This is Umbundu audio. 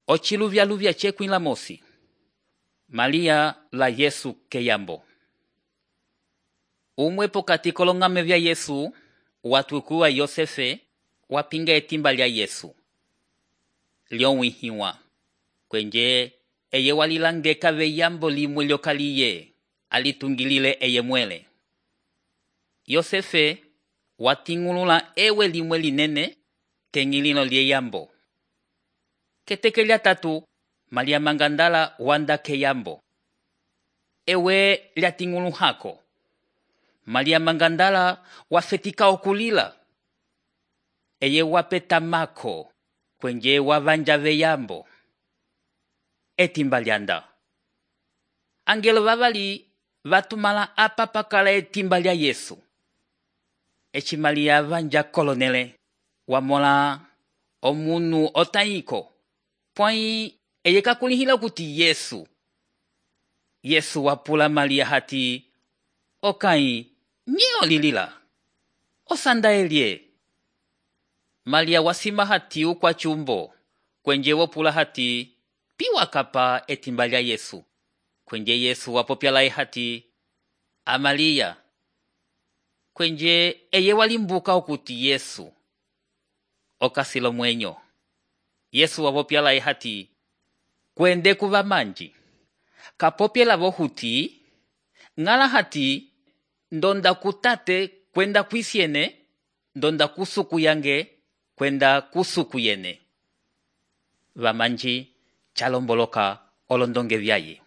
Ociluvyaluvya cekwila mosi. Malia la Yesu keyambo. Umwe pokati kolongame vya Yesu, watukuwa Yosefe, wapinga etimba lya Yesu. Lyonwihiwa. Kwenje, eye walilangeka veyambo limwe lyokaliye, alitungilile eye mwele. Yosefe, watingulula ewe limwe linene, kengilino lyeyambo. Keteke lya tatu, Malia Mangandala wanda keyambo. Ewe lyatingulu hako. Malia Mangandala wafetika okulila. Eye wapeta mako, kwenye wavanja veyambo. Etimba lyanda. Angelo vavali vatumala apa pakala etimba lya Yesu. Echi Malia vanja kolonele, wamola omunu otaiko. Pwai eye kakulihila kuti Yesu. Yesu wapula Malia hati, okai, nye olilila. Osanda elie. Malia wasima hati ukwa chumbo. Kwenje wapula hati, piwa kapa etimba lya Yesu. Kwenje Yesu wapopyala hati, Amalia. Kwenje eye walimbuka okuti Yesu. Okasilo mwenyo. Yesu wapopyala hati, kwende kuva manji. Kapopyala vohuti, ngala hati, ndonda kutate kwenda kwisiene, ndonda kusuku yange kwenda kusuku yene. Vamanji chalomboloka olondonge vyaye.